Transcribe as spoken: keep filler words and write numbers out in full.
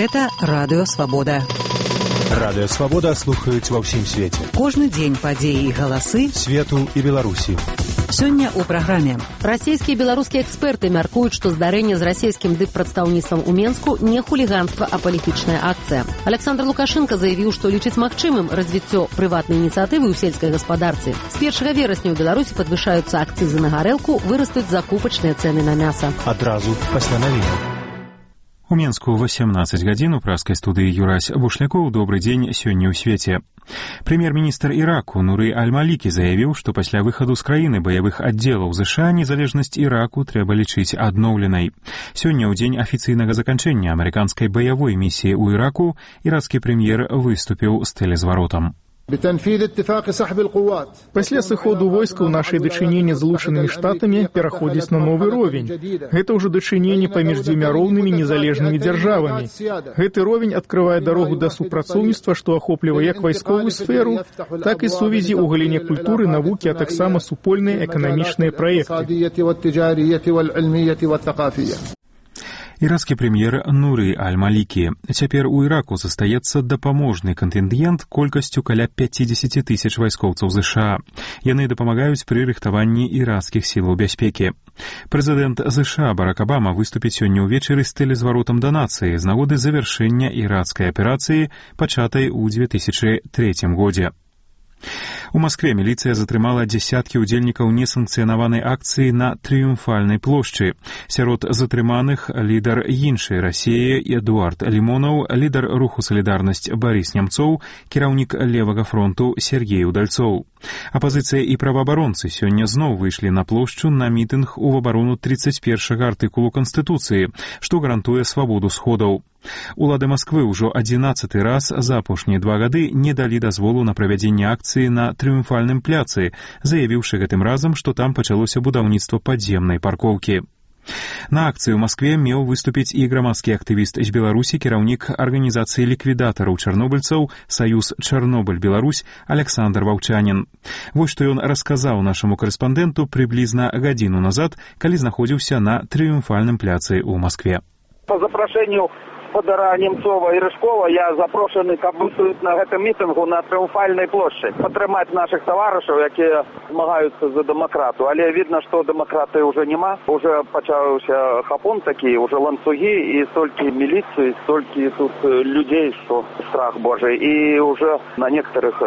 Гэта Радыё Свабода. Радыё Свабода слухаюць ва ўсім свеце. Кожны дзень падзеі і галасы свету і Беларусі. Сёння ў праграме. Расійскія і беларускія эксперты мяркуюць, што здарэнне з расійскім дыппрадстаўніцтвам у Менску не хуліганства, а палітычная акцыя. Александр Лукашенко заявіў, што лічыць магчымым развіццё прыватнай ініцыятывы ў сельскай гаспадарцы. З першага верасня ў Беларусі падвышаюцца акцызы на гарэлку, вырастуць закупачныя цэны на мяса. Адразу пасля навінаў. У Менску восемнадцать гадзін у праскай студыі Юрась Бушлякоў. Добрый дзень сёння ў свеце. Прэм'ер-міністр Іраку Нуры Аль-Малікі заявіў, што пасля выхаду з краіны баявых аддзелаў ЗША незалежнасць Іраку трэба лічыць адноўленай. Сёння ў дзень афіцыйнага заканчэння амерыканскай баявой місіі ў Іраку ірацкі прэм'ер выступіў з тэлезваротам. Пасля сыходу войскаў нашыя дачыненні з Злучанымі Штатамі пераходзяць на новы ровень. Гэта ўжо дачыненні паміж дзвюма роўнымі незалежнымі дзяржавамі. Гэты ровень адкрывае дарогу да супрацоўніцтва, што ахоплівае як вайсковую сферу, так і сувязі ў галіне культуры, навукі, а таксама супольныя эканамічныя праекты. Ірацкі прэм'ер Нуры Аль-Малікі. Цяпер у Іраку застаецца дапаможны кантынгент колькасцю каля пяцьдзесят тысяч вайскоўцаў ЗША. Яны дапамагаюць пры рыхтаванні ірацкіх сілаў бяспекі. Прэзідэнт ЗША Барак Абама выступіць сёння ўвечары з тэлезваротам да нацыі з нагоды завяршэння ірацкай аперацыі, пачатай у две тысячы трэцім годзе. У Маскве міліцыя затрымала дзясяткі ўдзельнікаў несанкцыянаванай акцыі на Трыумфальнай плошчы. Сярод затрыманых лідар іншай Расіі Эдуард Лімонаў, лідар руху «Салідарнасць» Барыс Нямцоў, кіраўнік левага фронту Сергей Удальцоў. Апазіцыя і праваабаронцы сёння зноў выйшлі на плошчу на мітынг у абарону тридцать першага артыкулу Канстытуцыі, што гарантуе свабоду сходаў. Улады Масквы ўжо адзінаццаты раз за апошнія два гады не далі дазволу на правядзенне акцыі на Трыумфальным пляцы, заявіўшы гэтым разам, што там пачалося будаўніцтва падземнай паркоўкі. На акцыі ў Маскве меў выступіць і грамадскі актывіст з Беларусі, кіраўнік арганізацыі ліквідатараў чарнобыльцаў «Саюз Чарнобыль-Беларусь» Александр Ваўчанін. Вось што ён расказаў нашаму карэспандэнту прыблізна гадзіну назад, калі знаходзіўся на Трыумфальным пляцы ў Маскве. По запрашэнню Федора Немцова и Рыжкова я запрошены, каб выступіць на гэтым мітынгу на Трыумфальнай плошчы, падтрымаць наших таварышаў, якія змагаюцца за дэмакрату. Але відно, што дэмакраты ўжо няма. Уже пачаўся хапон такі, уже ланцугі і столькі міліцыі, столькі тут людзей, што страх божий. І уже на некоторых